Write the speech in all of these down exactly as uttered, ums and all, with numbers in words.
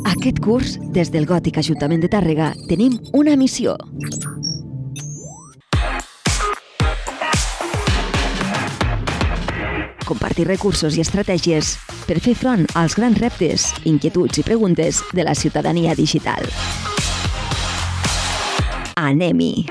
Aquest curs, des del Gòtic Ajuntament de Tàrrega, tenim una missió. Compartir recursos i estratègies per fer front als grans reptes, inquietuds i preguntes de la ciutadania digital. Anem-hi!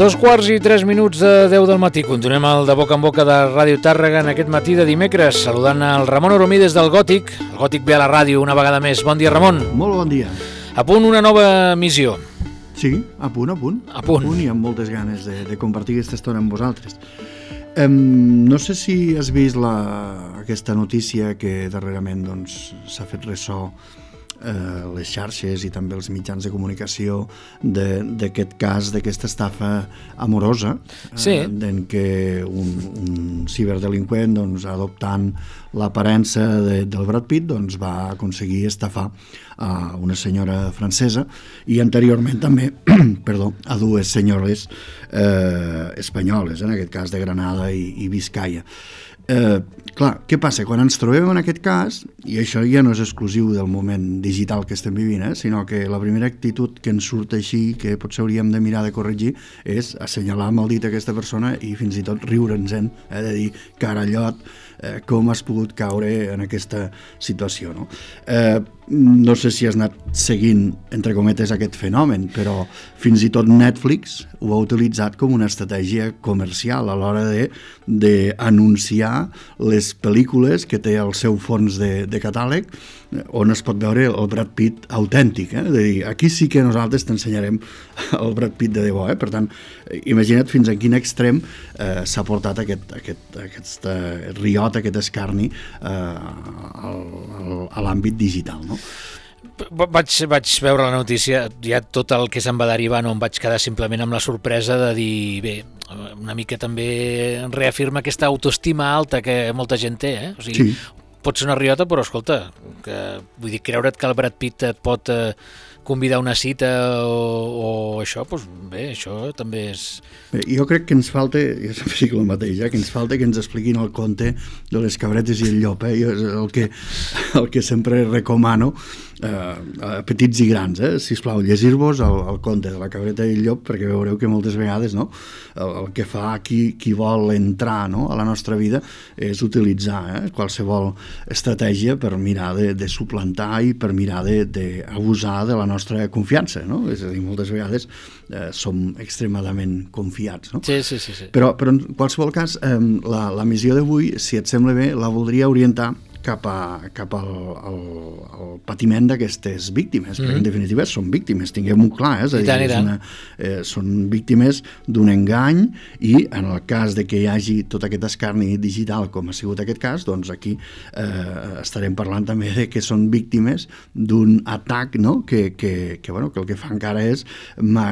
Dos quarts i tres minuts de deu del matí. Continuem el de boca en boca de Ràdio Tàrrega en aquest matí de dimecres, saludant el Ramon Oromí des del Gòtic. El Gòtic ve a la ràdio una vegada més. Bon dia, Ramon. Molt bon dia. A punt una nova missió. Sí, a punt, a punt. A punt. A punt i amb moltes ganes de, de compartir aquesta estona amb vosaltres. Um, no sé si has vist la, aquesta notícia que darrerament doncs, s'ha fet ressò eh, les xarxes i també els mitjans de comunicació d'aquest cas, d'aquesta estafa amorosa, sí. eh, en què un, un ciberdelinqüent, doncs, adoptant l'aparença de, del Brad Pitt, doncs, va aconseguir estafar a una senyora francesa i anteriorment també perdó, a dues senyores eh, espanyoles, en aquest cas de Granada i, i Biscaia. Eh, clar, què passa? Quan ens trobem en aquest cas, i això ja no és exclusiu del moment digital que estem vivint, eh, sinó que la primera actitud que ens surt així, que potser hauríem de mirar de corregir, és assenyalar amb el dit aquesta persona i fins i tot riure'ns-en, eh, de dir, carallot, eh, com has pogut caure en aquesta situació, no? Eh, no sé si has anat seguint, entre cometes, aquest fenomen, però fins i tot Netflix ho ha utilitzat com una estratègia comercial a l'hora de, de anunciar les pel·lícules que té el seu fons de, de catàleg, on es pot veure el Brad Pitt autèntic, eh? De dir, aquí sí que nosaltres t'ensenyarem el Brad Pitt de debò, eh? Per tant, imagina't fins a quin extrem eh, s'ha portat aquest, aquest, aquest eh, riot, aquest escarni eh, al, al, a l'àmbit digital, no? Vaig, vaig veure la notícia, ja tot el que se'n va derivar, no em vaig quedar simplement amb la sorpresa de dir, bé, una mica també reafirma aquesta autoestima alta que molta gent té, eh? O sigui, sí. Pot ser una riota, però escolta, que, vull dir, creure't que el Brad Pitt et pot eh, convidar a una cita o, o això, doncs bé, això també és... Bé, jo crec que ens falta, jo sempre dic el mateix, eh, que ens falta que ens expliquin el conte de les cabretes i el llop, eh? Jo, el, que, el que sempre recomano eh, a petits i grans, eh? Sisplau, llegir-vos el, el conte de la cabreta i el llop, perquè veureu que moltes vegades, no, el, el que fa qui, qui vol entrar, no, a la nostra vida és utilitzar eh, qualsevol estratègia per mirar de, de suplantar i per mirar d'abusar de, de la nostra confiança, no? És a dir, moltes vegades eh, som extremadament confiats, no? Sí, sí, sí, sí. Però, però en qualsevol cas, eh, la, la missió d'avui, si et sembla bé, la voldria orientar cap, a, cap al, al, al patiment d'aquestes víctimes, mm-hmm. perquè en definitiva són víctimes, tinguem-ho clar, eh? És a dir, és una, eh, són víctimes d'un engany i en el cas de que hi hagi tot aquest escarni digital com ha sigut aquest cas, doncs aquí eh, estarem parlant també de que són víctimes d'un atac, no? que, que, que, bueno, que el que fa encara és ma,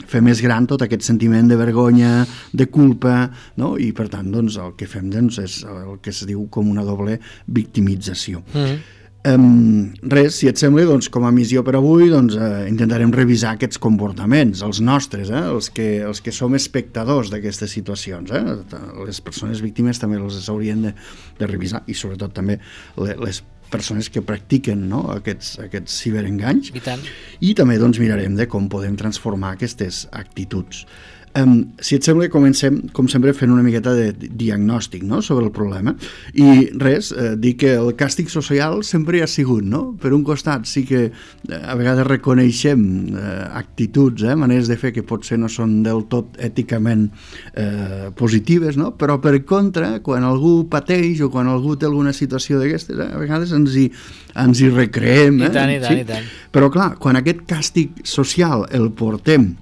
fer més gran tot aquest sentiment de vergonya, de culpa, no? I per tant doncs, el que fem doncs, és el que es diu com una doble victimització. Mm-hmm. Um, res, si et sembla, doncs, com a missió per avui, doncs, eh, intentarem revisar aquests comportaments, els nostres, eh, els, que, els que som espectadors d'aquestes situacions. Eh? Les persones víctimes també les haurien de, de revisar i sobretot també les persones que practiquen, no, aquests, aquests ciberenganys. I tant. I també doncs, mirarem de com podem transformar aquestes actituds. Um, si et sembla, comencem, com sempre, fent una miqueta de diagnòstic, no?, sobre el problema. I res, eh, dir que el càstig social sempre hi ha sigut, no? Per un costat sí que eh, a vegades reconeixem eh, actituds, eh, maneres de fer que potser no són del tot èticament eh, positives, no? Però per contra, quan algú pateix o quan algú té alguna situació d'aquestes, eh, a vegades ens hi, ens hi recreem. Eh? I tant, i tant, sí? i tant. Però clar, quan aquest càstig social el portem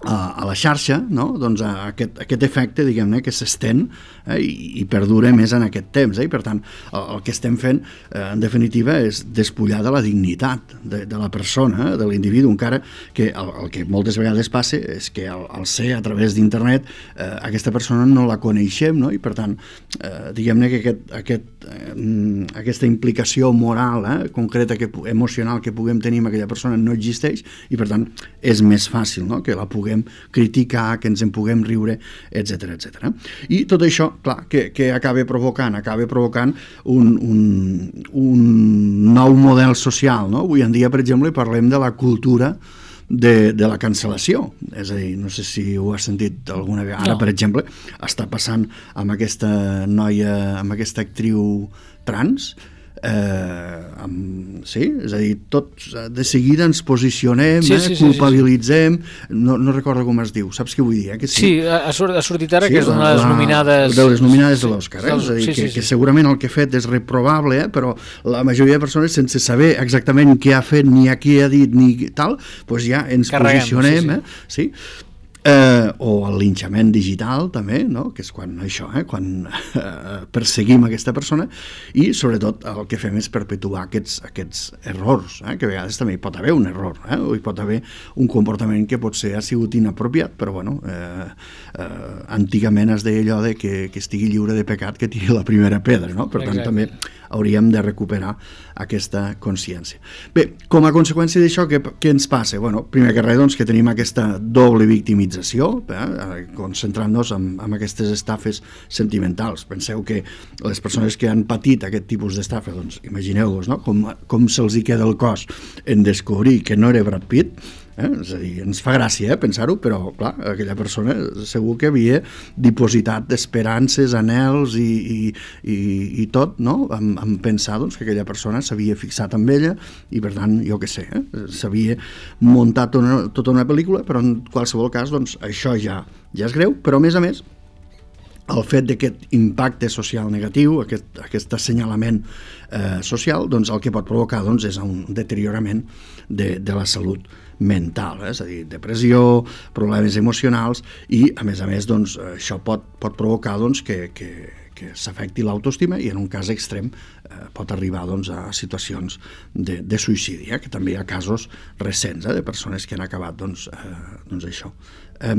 a, a la xarxa, no? Doncs a aquest, aquest efecte, diguem-ne, que s'estén eh, i, i perdura més en aquest temps. Eh? I per tant, el, el que estem fent, eh, en definitiva, és despullar de la dignitat de, de la persona, eh, de l'individu, encara que el, el que moltes vegades passa és que al, al ser a través d'internet eh, aquesta persona no la coneixem, no? I per tant, eh, diguem-ne que aquest, aquest, eh, aquesta implicació moral eh, concreta, que, emocional que puguem tenir amb aquella persona no existeix i per tant és més fàcil, no? Que la puguem criticar, que ens en puguem riure, etcètera, etcètera. I tot això, clar, que, que acaba provocant, acaba provocant un, un, un nou model social, no? Avui en dia, per exemple, parlem de la cultura de, de la cancel·lació. És a dir, no sé si ho has sentit alguna vegada. Ara, no. Per exemple, està passant amb aquesta noia, amb aquesta actriu trans, Eh, amb, sí, és a dir, tots de seguida ens posicionem, sí, eh, sí, culpabilitzem, sí, sí, sí. No, no recordo com es diu, saps què vull dir? Eh? Que sí, sí ha, ha sortit ara, sí, que és una de les la, nominades... De les nominades de l'Òscar, eh? És a dir, sí, sí, que, sí. que segurament el que ha fet és reprobable, eh? Però la majoria de persones, sense saber exactament què ha fet, ni a qui ha dit, ni tal, doncs ja ens Carreguem, posicionem, sí, sí. Eh? Sí? Eh, o el linxament digital també, no? Que és quan això, eh? quan eh, perseguim aquesta persona i sobretot el que fem és perpetuar aquests, aquests errors, eh? Que a vegades també hi pot haver un error, eh? O hi pot haver un comportament que potser ha sigut inapropiat, però bueno, eh, eh, antigament es deia allò de que, que estigui lliure de pecat que tiri la primera pedra, no? Per tant, Exacte. També hauríem de recuperar aquesta consciència. Bé, com a conseqüència d'això, què, què ens passa? Bueno, primer que res, doncs, que tenim aquesta doble victimització, eh, concentrant-nos en, en aquestes estafes sentimentals. Penseu que les persones que han patit aquest tipus d'estafa, doncs, imagineu-vos, no? com, com se'ls hi queda el cos en descobrir que no era Brad Pitt. Eh? És a dir, ens fa gràcia eh, pensar-ho, però clar, aquella persona segur que havia dipositat esperances, anhels i, i, i, i tot, no? En, en pensar doncs, que aquella persona s'havia fixat amb ella i per tant, jo què sé, eh? s'havia muntat una, tota una pel·lícula, però en qualsevol cas doncs, això ja, ja és greu, però a més a més el fet d'aquest impacte social negatiu, aquest, aquest assenyalament eh, social, doncs el que pot provocar doncs, és un deteriorament de, de la salut mental, eh? És a dir, depressió, problemes emocionals i, a més a més, doncs, això pot, pot provocar doncs, que, que, que s'afecti l'autoestima i, en un cas extrem, eh, pot arribar doncs, a situacions de, de suïcidi, eh? Que també hi ha casos recents eh, de persones que han acabat doncs, eh, doncs això. Eh,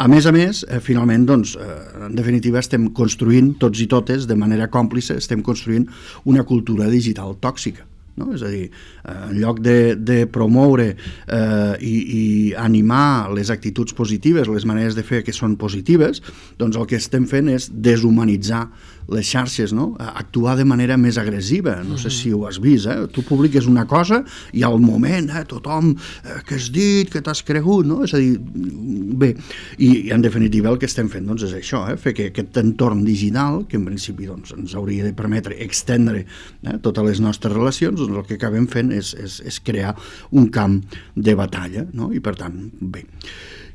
a més a més, eh, finalment, doncs, eh, en definitiva, estem construint, tots i totes, de manera còmplice, estem construint una cultura digital tòxica. No? És a dir, en lloc de, de promoure eh, i, i animar les actituds positives, les maneres de fer que són positives, doncs el que estem fent és deshumanitzar les xarxes, no? Actuar de manera més agressiva. No sé si ho has vist, eh? Tu publiques una cosa i al moment eh, tothom eh, que has dit, que t'has cregut, no? És a dir, bé, i, i en definitiva el que estem fent doncs, és això, eh? Fer que aquest entorn digital, que en principi doncs, ens hauria de permetre extendre eh, totes les nostres relacions, doncs el que acabem fent és, és, és crear un camp de batalla, no? I per tant, bé.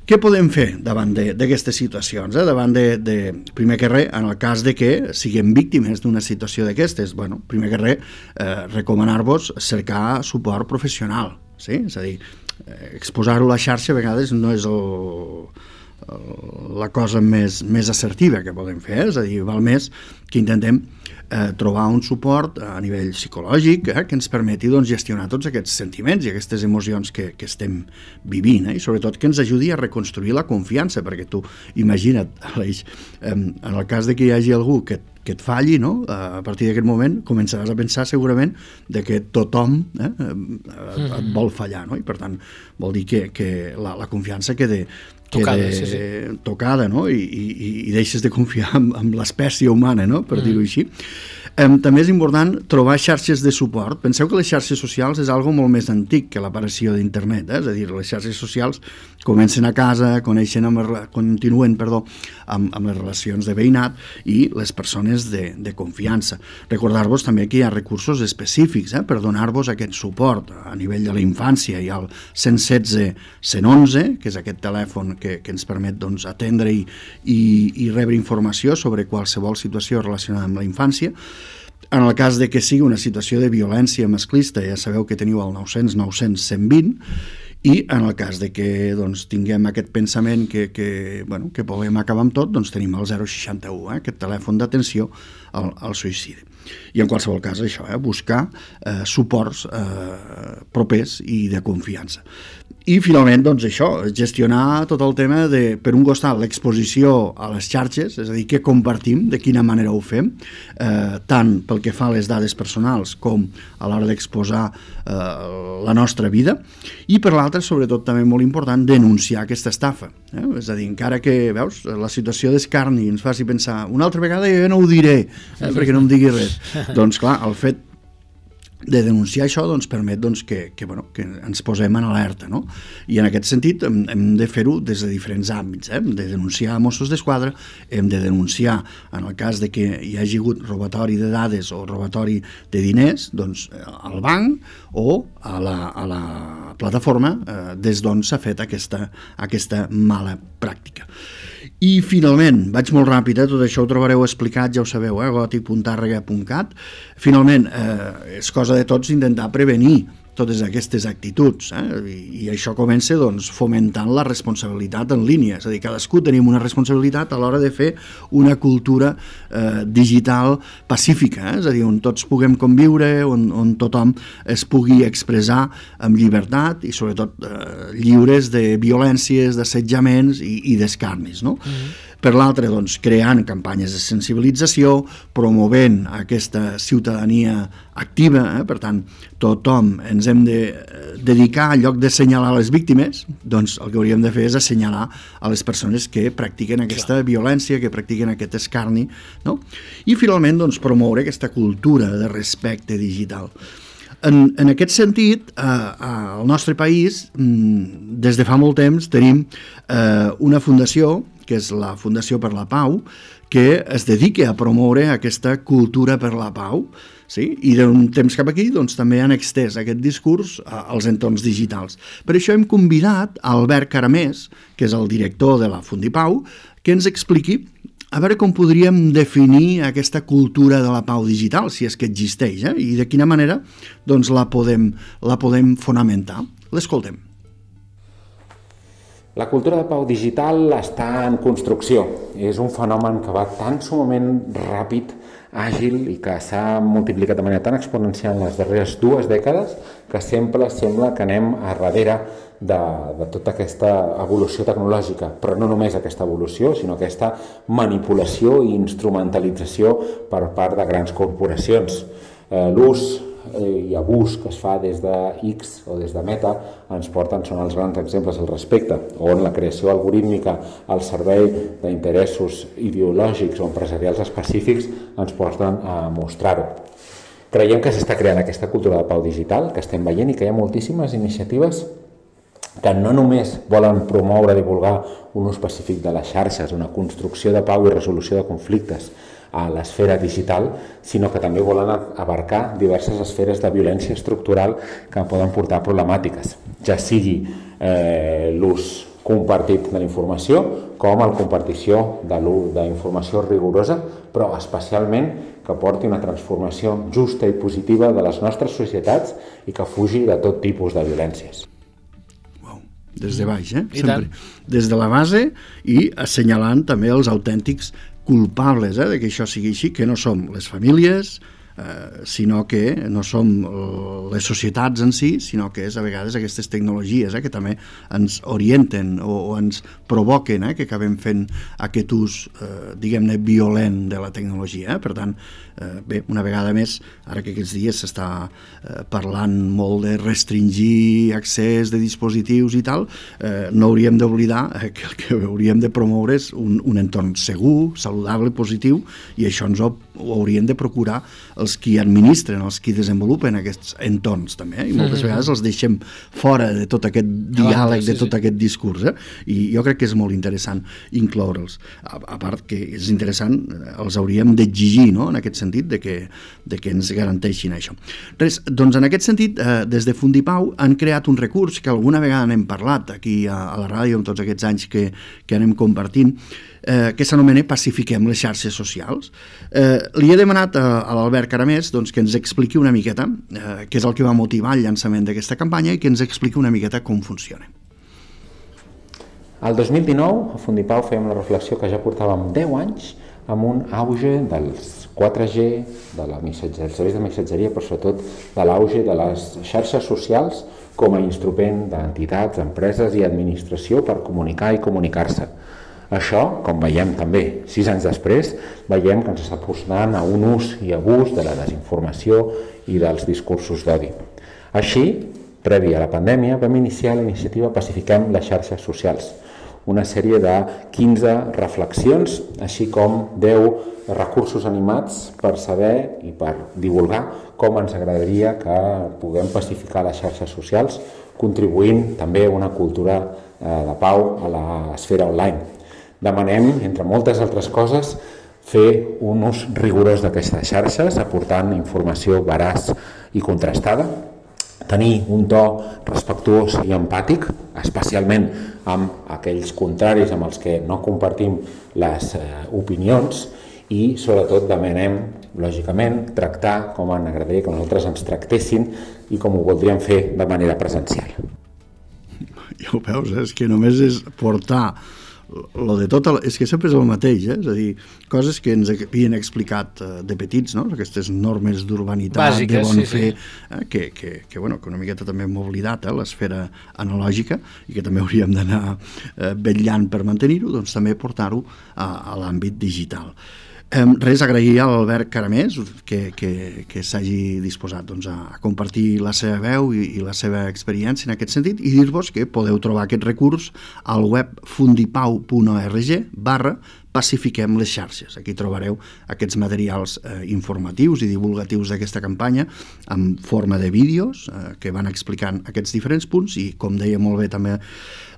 Què podem fer davant d'aquestes situacions? Eh? Davant de, de, primer que res, en el cas de que siguem víctimes d'una situació d'aquestes, bueno, primer que res, eh, recomanar-vos cercar suport professional, sí? És a dir, eh, exposar-ho a la xarxa a vegades no és el, el, la cosa més, més assertiva que podem fer, eh? És a dir, val més que intentem eh, trobar un suport a nivell psicològic eh, que ens permeti doncs, gestionar tots aquests sentiments i aquestes emocions que, que estem vivint eh, i sobretot que ens ajudi a reconstruir la confiança, perquè tu imagina't, Aleix, eh, en el cas de que hi hagi algú que que et falli, no? A partir d'aquest moment començaràs a pensar segurament de que tothom eh, et vol fallar, no? I per tant vol dir que, que la, la confiança quede, tocada, quede sí, sí. tocada, no? I, i, i deixes de confiar en, en l'espècie humana, no? Per mm. dir-ho així. Um, també és important trobar xarxes de suport. Penseu que les xarxes socials és algo molt més antic que l'aparició d'internet, eh? És a dir, les xarxes socials comencen a casa, coneixen amb, continuen perdó, amb, amb les relacions de veïnat i les persones de, de confiança. Recordar-vos també que hi ha recursos específics eh, per donar-vos aquest suport a nivell de la infància. Hi ha el cent setze cent onze, que és aquest telèfon que, que ens permet doncs, atendre i, i, i rebre informació sobre qualsevol situació relacionada amb la infància. En el cas de que sigui una situació de violència masclista, ja sabeu que teniu el nou cents nou cents cent vint, I en el cas de que doncs, tinguem aquest pensament que, que, bueno, que volem acabar amb tot, doncs tenim el zero seixanta u, eh, aquest telèfon d'atenció al, al suïcidi. I en qualsevol cas això, eh, buscar eh, suports eh, propers i de confiança. I finalment, doncs això, gestionar tot el tema de, per un costat, l'exposició a les xarxes, és a dir, què compartim, de quina manera ho fem, eh, tant pel que fa a les dades personals com a l'hora d'exposar eh, la nostra vida, i per l'altra, sobretot també molt important, denunciar aquesta estafa. Eh? És a dir, encara que, veus, la situació d'escarni ens faci pensar, una altra vegada jo no ho diré, eh, perquè no em digui res. Doncs clar, el fet de denunciar això doncs, permet doncs, que, que, bueno, que ens posem en alerta, no? I en aquest sentit hem, hem de fer-ho des de diferents àmbits. Eh? Hem de denunciar a Mossos d'Esquadra, hem de denunciar en el cas de que hi hagi hagut robatori de dades o robatori de diners doncs, al banc o a la, a la plataforma eh, des d'on s'ha fet aquesta, aquesta mala pràctica. I finalment, vaig molt ràpid, eh? Tot això ho trobareu explicat, ja ho sabeu, eh? gòtic punt tàrrega punt cat. Finalment, eh, és cosa de tots intentar prevenir totes aquestes actituds, eh? I, i això comença doncs, fomentant la responsabilitat en línia, és a dir, cadascú tenim una responsabilitat a l'hora de fer una cultura eh, digital pacífica, eh? És a dir, on tots puguem conviure, on, on tothom es pugui expressar amb llibertat i sobretot eh, lliures de violències, d'assetjaments i, i d'escarnis, no? Mm-hmm. Per l'altre, doncs, creant campanyes de sensibilització, promovent aquesta ciutadania activa, eh? Per tant, tothom ens hem de dedicar, en lloc de assenyalar les víctimes, doncs el que hauríem de fer és assenyalar a les persones que practiquen aquesta Clar. violència, que practiquen aquest escarni, no? I finalment, doncs, promoure aquesta cultura de respecte digital. En, en aquest sentit, eh, al nostre país, des de fa molt temps, tenim eh, una fundació, que és la Fundació per la Pau, que es dedica a promoure aquesta cultura per la pau, sí? I d'un temps cap aquí doncs, també han extès aquest discurs als entorns digitals. Per això hem convidat a Albert Caramés, que és el director de la Fundipau, que ens expliqui a veure com podríem definir aquesta cultura de la pau digital, si és que existeix, eh? I de quina manera doncs, la, podem, la podem fonamentar. L'escoltem. La cultura de pau digital està en construcció. És un fenomen que va tan sumament ràpid, àgil i que s'ha multiplicat de manera tan exponencial en les darreres dues dècades que sempre sembla que anem a darrere de, de tota aquesta evolució tecnològica. Però no només aquesta evolució, sinó aquesta manipulació i instrumentalització per part de grans corporacions. Eh, l'ús i abús que es fa des de X o des de Meta ens porten, són els grans exemples al respecte, on la creació algorítmica al servei d'interessos ideològics o empresarials específics ens porten a mostrar-ho. Creiem que s'està creant aquesta cultura de pau digital, que estem veient, i que hi ha moltíssimes iniciatives que no només volen promoure i divulgar un ús pacífic de les xarxes, una construcció de pau i resolució de conflictes a l'esfera digital, sinó que també volen abarcar diverses esferes de violència estructural que poden portar problemàtiques, ja sigui eh, l'ús compartit de la informació com la compartició de l'ús d'informació rigorosa, però especialment que porti una transformació justa i positiva de les nostres societats i que fugi de tot tipus de violències. Des de baix, eh? Sempre. Des de la base i assenyalant també els autèntics culpables eh, de que això sigui així, que no som les famílies, eh, sinó que no som les societats en si, sinó que és a vegades aquestes tecnologies eh, que també ens orienten o, o ens provoquen, eh, que acabem fent aquest ús, eh, diguem-ne, violent de la tecnologia. Eh? Per tant, eh, bé, una vegada més, ara que aquests dies s'està eh, parlant molt de restringir accés de dispositius i tal, eh, no hauríem d'oblidar eh, que el que hauríem de promoure és un, un entorn segur, saludable, positiu, i això ens ho, ho haurien de procurar els qui administren, els qui desenvolupen aquests entorns també, eh? I moltes mm-hmm. vegades els deixem fora de tot aquest diàleg, sí, de tot sí. aquest discurs, eh? I jo crec que és molt interessant incloure'ls. A, a part que és interessant, els hauríem d'exigir, no?, en aquest sentit, de que, de que ens garanteixin això. Res, doncs en aquest sentit, eh, des de Fundipau han creat un recurs que alguna vegada n'hem parlat aquí a, a la ràdio, amb tots aquests anys que, que anem compartint, eh, que s'anomena Pacifiquem les xarxes socials. Eh, li he demanat a, a l'Albert Caramés doncs, que ens expliqui una miqueta eh, què és el que va motivar el llançament d'aquesta campanya i que ens expliqui una miqueta com funciona. El dos mil dinou, a Fundipau, fèiem la reflexió que ja portàvem deu anys amb un auge dels quatre G, de la missatgeria, dels serveis de missatgeria, però sobretot de l'auge de les xarxes socials com a instrument d'entitats, empreses i administració per comunicar i comunicar-se. Això, com veiem també sis anys després, veiem que ens està portant a un ús i abús de la desinformació i dels discursos d'odi. Així, previ a la pandèmia, vam iniciar la iniciativa Pacifiquem les xarxes socials, una sèrie de quinze reflexions, així com deu recursos animats per saber i per divulgar com ens agradaria que puguem pacificar les xarxes socials, contribuint també a una cultura de pau a l'esfera online. Demanem, entre moltes altres coses, fer un ús rigorós d'aquestes xarxes, aportant informació veraç i contrastada, tenir un to respectuós i empàtic, especialment amb aquells contraris amb els que no compartim les eh, opinions, i sobretot demanem, lògicament, tractar com ens agradaria que nosaltres ens tractessin i com ho voldríem fer de manera presencial. Ja ho veus, eh? És que només és portar lo de tot, el, és que sempre és el mateix, eh? És a dir, coses que ens havien explicat eh, de petits, no? Aquestes normes d'urbanitat, bàsiques, de bon sí, fer, sí. Eh? Que, que, que, bueno, que una miqueta també hem oblidat, eh? L'esfera analògica, i que també hauríem d'anar eh, vetllant per mantenir-ho, doncs també portar-ho a, a l'àmbit digital. Eh, res, agrair a l'Albert Caramés que, que, que s'hagi disposat doncs, a compartir la seva veu i, i la seva experiència en aquest sentit, i dir-vos que podeu trobar aquest recurs al web fundipau punt org barra pacifiquem les xarxes. Aquí trobareu aquests materials eh, informatius i divulgatius d'aquesta campanya en forma de vídeos eh, que van explicant aquests diferents punts, i com deia molt bé també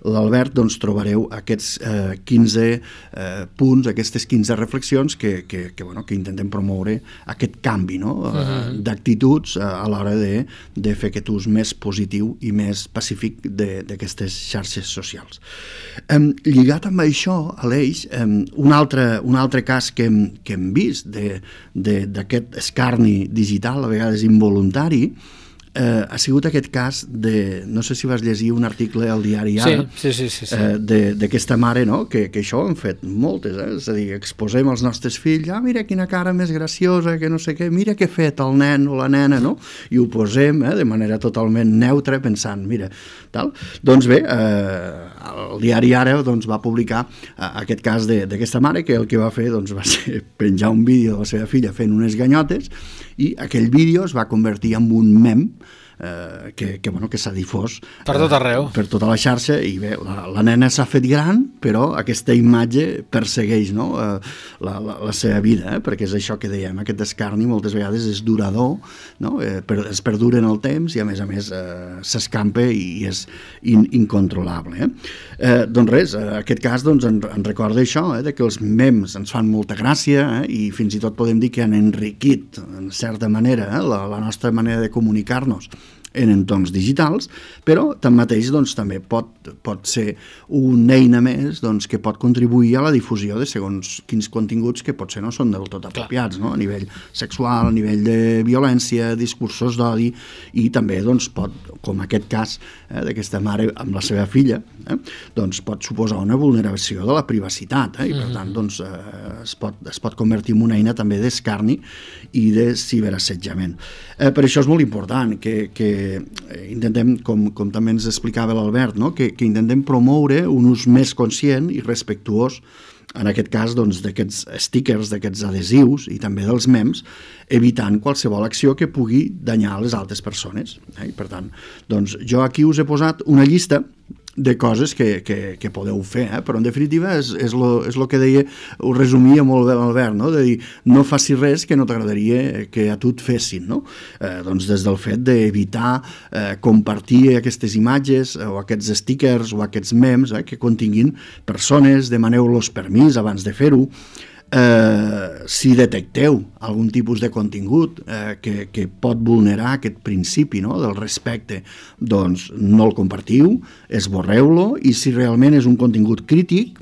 l'Albert, doncs trobareu aquests eh, quinze eh, punts, aquestes quinze reflexions que, que, que, bueno, que intentem promoure aquest canvi, no? uh -huh. d'actituds a l'hora de, de fer aquest ús més positiu i més pacífic d'aquestes xarxes socials. Eh, lligat amb això, Aleix, eh, un, altre, un altre cas que hem, que hem vist d'aquest escarni digital, a vegades involuntari, Eh, ha sigut aquest cas de, no sé si vas llegir un article al diari Ara, sí, sí, sí, sí. eh, d'aquesta mare, no? que, que això ho han fet moltes, eh? És a dir, exposem els nostres fills, ah, mira quina cara més graciosa, que no sé què, mira què ha fet el nen o la nena, no? I ho posem eh, de manera totalment neutra, pensant, mira, tal. Doncs bé, eh, el diari Ara doncs, va publicar eh, aquest cas d'aquesta mare, que el que va fer doncs, va ser penjar un vídeo de la seva filla fent unes ganyotes, i aquell vídeo es va convertir en un mem eh, que, que, bueno, que s'ha difós per tot arreu, eh, per tota la xarxa, i bé, la, la nena s'ha fet gran, però aquesta imatge persegueix, no? eh, la, la, la seva vida, eh? Perquè és això que dèiem, aquest escarni moltes vegades és durador, no? eh, per, es perdura en el temps, i a més a més eh, s'escampa i és in, incontrolable. Eh? Eh, doncs res, eh, aquest cas doncs, en, en recorda això, eh, de que els memes ens fan molta gràcia, eh, i fins i tot podem dir que han enriquit en certa manera eh, la, la nostra manera de comunicar-nos en entorns digitals, però tanmateix doncs, també pot, pot ser una eina més doncs, que pot contribuir a la difusió de segons quins continguts que potser no són del tot apropiats, no? A nivell sexual, a nivell de violència, discursos d'odi, i també doncs, pot, com aquest cas eh, d'aquesta mare amb la seva filla, eh, doncs pot suposar una vulneració de la privacitat, eh, i per tant doncs, eh, es, pot, es pot convertir en una eina també d'escarni i de ciberassetjament. Eh, per això és molt important que, que intentem, com, com també ens explicava l'Albert, no? que, que intentem promoure un ús més conscient i respectuós, en aquest cas doncs, d'aquests stickers, d'aquests adhesius i també dels memes, evitant qualsevol acció que pugui danyar les altres persones. Eh? I per tant, doncs, jo aquí us he posat una llista de coses que, que, que podeu fer, eh? Però en definitiva és, és, lo, és lo que deia, ho resumia molt bé l'Albert, no? De dir, no facis res que no t'agradaria que a tu et fessin, no? Eh, doncs des del fet d'evitar eh, compartir aquestes imatges eh, o aquests stickers o aquests memes eh, que continguin persones, demaneu-los permís abans de fer-ho. Eh, si detecteu algun tipus de contingut eh, que, que pot vulnerar aquest principi, no? Del respecte, doncs no el compartiu, esborreu-lo, i si realment és un contingut crític,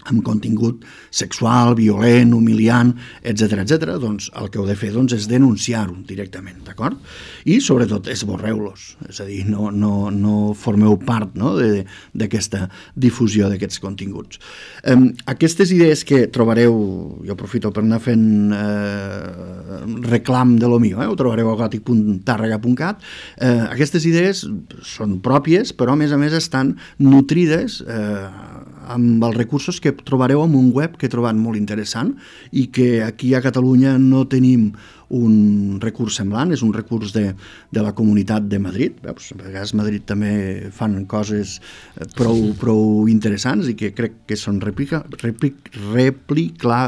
amb contingut sexual, violent, humiliant, etcètera, etcètera, doncs el que heu de fer doncs, és denunciar-ho directament, d'acord? I sobretot esborreu-los, és a dir, no, no, no formeu part, no, d'aquesta difusió d'aquests continguts. Eh, aquestes idees que trobareu, jo aprofito per anar fent eh, reclam de lo mío, eh, ho trobareu a gòtic punt tàrrega punt cat, eh, aquestes idees són pròpies, però a més a més estan nutrides eh, amb els recursos que trobareu en un web que he trobat molt interessant i que aquí a Catalunya no tenim un recurs semblant, és un recurs de, de la Comunitat de Madrid. Veus? A vegades a Madrid també fan coses prou, prou interessants i que crec que són replica, replic, replicla,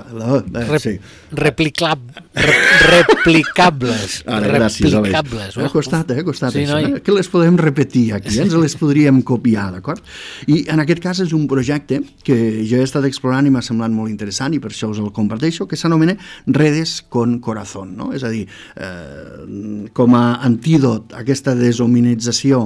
eh, sí. Replicla, re, replicables. Ara, gràcies, replicables. Ha costat, eh? Ha costat sí, això, no? eh? Que les podem repetir aquí, eh? Ens les podríem copiar, d'acord? I en aquest cas és un projecte que jo he estat explorant i m'ha semblat molt interessant i per això us el comparteixo, que s'anomena Redes con Corazón, no? És a dir, eh, com a antídot a aquesta deshumanització,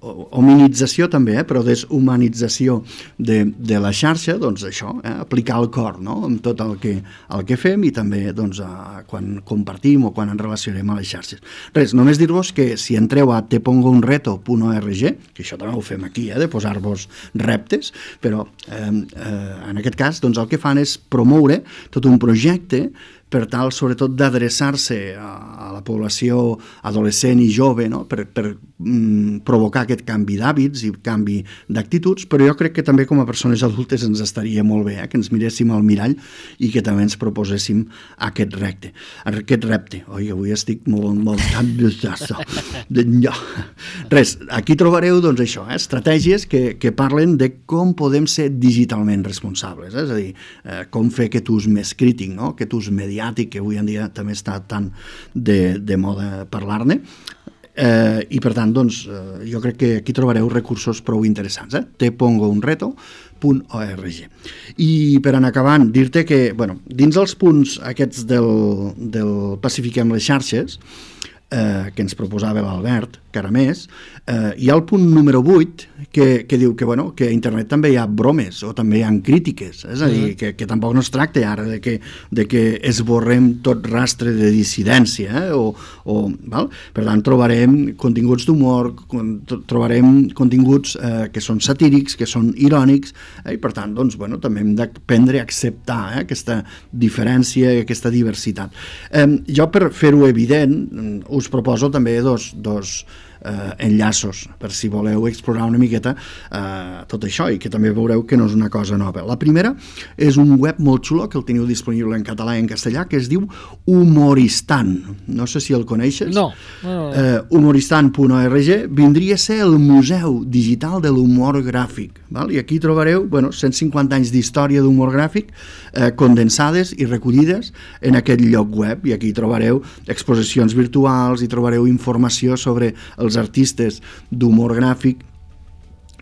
hominització també, eh, però deshumanització de, de la xarxa, doncs això, eh, aplicar el cor, no?, amb tot el que, el que fem i també doncs, a, quan compartim o quan ens relacionem a les xarxes. Res, només dir-vos que si entreu a te pongo un reto punt org, que això també ho fem aquí, eh, de posar-vos reptes, però eh, eh, en aquest cas doncs, el que fan és promoure tot un projecte per tal, sobretot, d'adreçar-se a, a la població adolescent i jove, no?, per, per mm, provocar aquest canvi d'hàbits i canvi d'actituds, però jo crec que també com a persones adultes ens estaria molt bé, eh?, que ens miréssim al mirall i que també ens proposéssim aquest repte. Aquest repte. Oi, avui estic molt, molt tan no. Res, aquí trobareu, doncs, això, eh, estratègies que, que parlen de com podem ser digitalment responsables, eh? És a dir, eh, com fer aquest ús més crític, no?, aquest ús mediàtic, que avui en dia també està tan de, de moda parlar-ne, eh, i per tant, doncs, eh, jo crec que aquí trobareu recursos prou interessants, eh? te pongo un reto punt org. I per anar acabant, dir-te que, bueno, dins els punts aquests del, del Pacifiquem les xarxes, eh, que ens proposava l'Albert Caramés, eh, hi ha el punt número vuit que, que diu que, bueno, que a internet també hi ha bromes o també hi ha crítiques, és a dir, que, que tampoc no es tracta ara de que, de que esborrem tot rastre de dissidència, eh, o, o, val? Per tant, trobarem continguts d'humor, trobarem continguts eh, que són satírics, que són irònics, eh, i per tant, doncs, bueno, també hem d'aprendre a acceptar eh, aquesta diferència i aquesta diversitat. Eh, jo, per fer-ho evident, us proposo també dos, dos eh, enllaços per si voleu explorar una miqueta eh, tot això i que també veureu que no és una cosa nova. La primera és un web molt xulo que el teniu disponible en català i en castellà que es diu Humoristan. No sé si el coneixes. No. no, no. Eh, humoristan punt org vindria a ser el Museu Digital de l'Humor Gràfic. Val? I aquí trobareu, bueno, cent cinquanta anys d'història d'humor gràfic eh, condensades i recollides en aquest lloc web, i aquí trobareu exposicions virtuals, i trobareu informació sobre els artistes d'humor gràfic,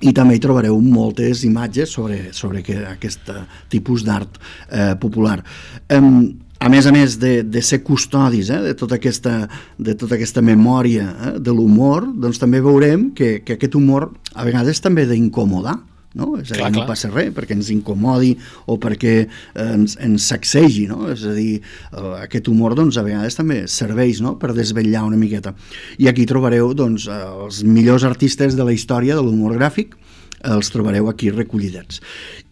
i també hi trobareu moltes imatges sobre, sobre que, aquest tipus d'art eh, popular. Eh, a més a més de, de ser custodis eh, de, tota aquesta, de tota aquesta memòria eh, de l'humor, doncs també veurem que, que aquest humor a vegades també ha d'incomodar, no? És a dir, clar, no clar. Passa res perquè ens incomodi o perquè eh, ens, ens sacsegi, no? És a dir, eh, aquest humor doncs, a vegades també serveix, no?, per desvetllar una miqueta. I aquí trobareu doncs, els millors artistes de la història de l'humor gràfic, els trobareu aquí recollidets.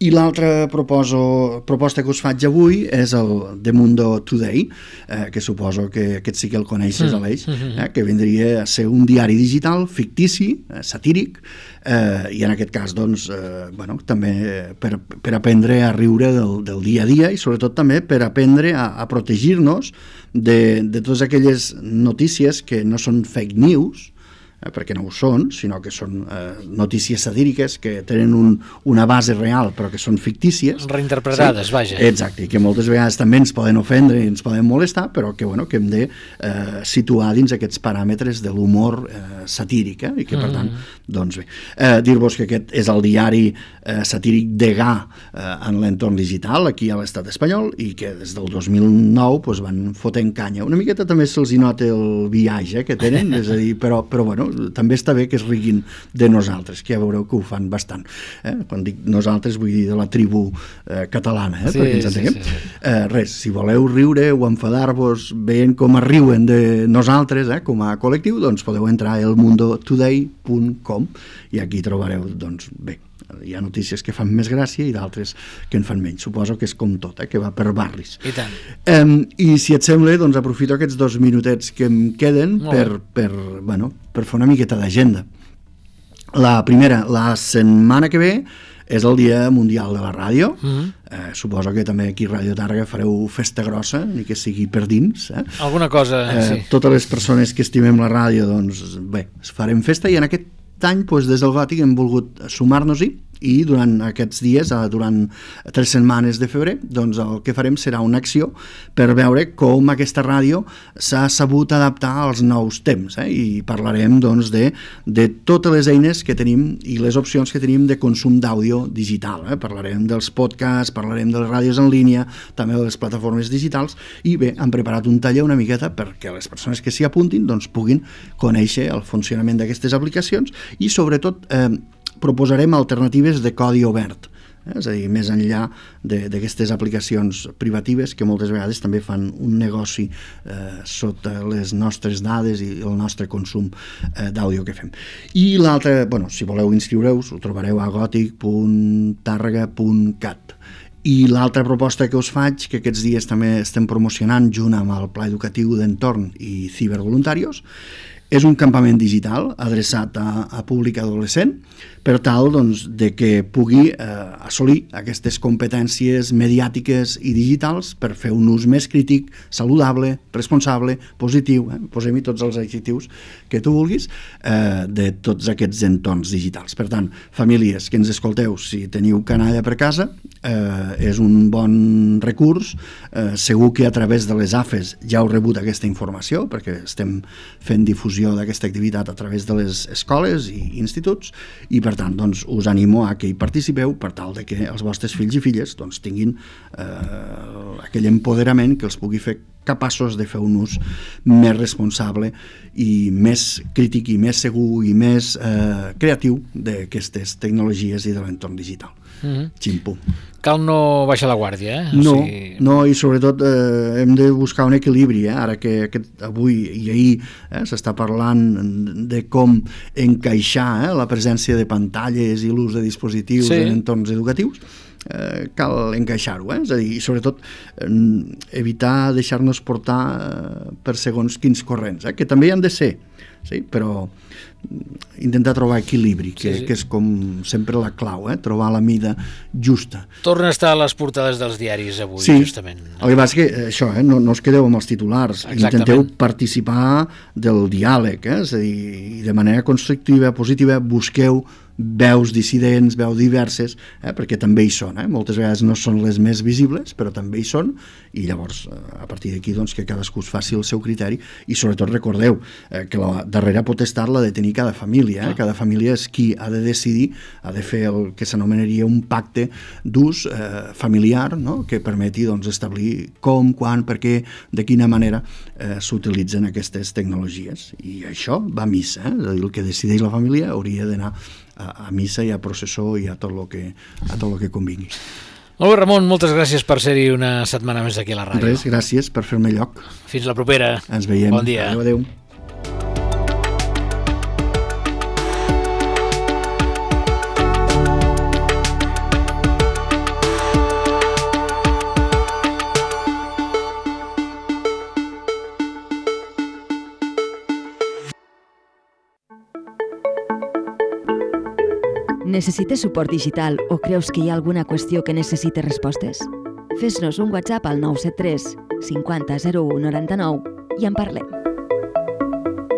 I l'altra proposta que us faig avui és el The Mundo Today, eh, que suposo que aquest sí que el coneixes, mm. Aleix, eh, que vindria a ser un diari digital fictici, eh, satíric, eh, i en aquest cas doncs, eh, bueno, també per, per aprendre a riure del, del dia a dia i sobretot també per aprendre a, a protegir-nos de, de totes aquelles notícies que no són fake news, eh, perquè no ho són, sinó que són eh, notícies satíriques que tenen un, una base real però que són fictícies. Reinterpretades, sí? Vaja. Exacte, i que moltes vegades també ens poden ofendre i ens poden molestar, però que, bueno, que hem de eh, situar dins aquests paràmetres de l'humor eh, satíric, eh? I que per tant, doncs bé, eh, dir-vos que aquest és el diari eh, satíric degà eh, en l'entorn digital aquí a l'estat espanyol i que des del dos mil nou pues, van fotent canya. Una miqueta també se'ls hi nota el viatge que tenen, és a dir, però, però bueno, bueno, també està bé que es riguin de nosaltres, que ja veureu que ho fan bastant. Eh? Quan dic nosaltres vull dir de la tribu eh, catalana, eh? Sí, perquè ens entenguem. sí, sí. Eh, res, si voleu riure o enfadar-vos veient com es riuen de nosaltres eh, com a col·lectiu, doncs podeu entrar a el mundo today punt com i aquí trobareu, doncs bé, hi ha notícies que fan més gràcia i d'altres que en fan menys. Suposo que és com tot, eh, que va per barris. I tant. Um, I si et sembla, doncs aprofito aquests dos minutets que em queden per, per, bueno, per fer una miqueta d'agenda. La primera, la setmana que ve és el Dia Mundial de la Ràdio. Mm-hmm. eh, suposo que també aquí a Ràdio Tàrrega fareu festa grossa, ni que sigui per dins. Eh? Alguna cosa, eh, sí. Totes les persones que estimem la ràdio, doncs bé, farem festa i en aquest any doncs, des del Gòtic hem volgut sumar-nos-hi i durant aquests dies, durant tres setmanes de febrer, doncs el que farem serà una acció per veure com aquesta ràdio s'ha sabut adaptar als nous temps, eh? I parlarem doncs, de, de totes les eines que tenim i les opcions que tenim de consum d'àudio digital. Eh? Parlarem dels podcasts, parlarem de les ràdios en línia, també de les plataformes digitals i bé, hem preparat un taller una miqueta perquè les persones que s'hi apuntin doncs, puguin conèixer el funcionament d'aquestes aplicacions i sobretot eh, proposarem alternatives de codi obert, eh? És a dir, més enllà d'aquestes aplicacions privatives que moltes vegades també fan un negoci eh, sota les nostres dades i el nostre consum eh, d'àudio que fem. I l'altre, bueno, si voleu inscriure-us, ho trobareu a gòtic punt tàrrega punt cat. I l'altra proposta que us faig, que aquests dies també estem promocionant junt amb el Pla Educatiu d'Entorn i Cibervoluntarios, és un campament digital adreçat a, a públic adolescent per tal doncs, de que pugui eh, assolir aquestes competències mediàtiques i digitals per fer un ús més crític, saludable, responsable, positiu, eh? Posem-hi tots els adjectius que tu vulguis, eh, de tots aquests entorns digitals. Per tant, famílies que ens escolteu, si teniu canalla per casa, eh, és un bon recurs, eh, segur que a través de les A F E S ja heu rebut aquesta informació, perquè estem fent difusió d'aquesta activitat a través de les escoles i instituts, i per tant doncs, us animo a que hi participeu per tal de que els vostres fills i filles doncs, tinguin eh, aquell empoderament que els pugui fer capaços de fer un ús més responsable i més crític i més segur i més eh, creatiu d'aquestes tecnologies i de l'entorn digital. Mm-hmm. Ximpo. Cal no baixar la guàrdia, eh? O no, sigui... no, i sobretot eh, hem de buscar un equilibri, eh? Ara que aquest, avui i ahir eh, s'està parlant de com encaixar eh, la presència de pantalles i l'ús de dispositius sí. en entorns educatius, eh, cal encaixar-ho, eh? És a dir, i sobretot eh, evitar deixar-nos portar eh, per segons quins corrents, eh? Que també hi han de ser, sí? Però intentar trobar equilibri, que, sí, sí. que és com sempre la clau, eh? Trobar la mida justa. Torna a estar a les portades dels diaris avui, sí. justament. El que passa és que això, eh? no, no us quedeu amb els titulars, exactament. Intenteu participar del diàleg, eh? És a dir, de manera constructiva, positiva, busqueu veus dissidents, veus diverses, eh? Perquè també hi són, eh? Moltes vegades no són les més visibles, però també hi són, i llavors a partir d'aquí doncs, que cadascú es faci el seu criteri, i sobretot recordeu eh, que la darrera potestat l'ha de tenir cada família, eh? Cada família és qui ha de decidir, ha de fer el que s'anomenaria un pacte d'ús eh, familiar, no? Que permeti doncs, establir com, quan, per què, de quina manera eh, s'utilitzen aquestes tecnologies, i això va a missa, eh? És a dir, el que decideix la família hauria d'anar a, a missa i a processó i a tot el que, a tot el que convingui. Molt bé, Ramon, moltes gràcies per ser-hi una setmana més aquí a la ràdio. Res, gràcies per fer-me lloc. Fins la propera. Ens veiem. Bon dia. Adéu, adéu. Necessites suport digital o creus que hi ha alguna qüestió que necessite respostes? Fes-nos un WhatsApp al nou set tres cinquanta zero u noranta-nou i en parlem.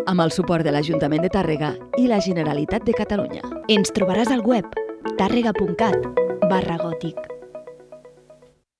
Amb el suport de l'Ajuntament de Tàrrega i la Generalitat de Catalunya. Ens trobaràs al web tàrrega punt cat barra gòtic.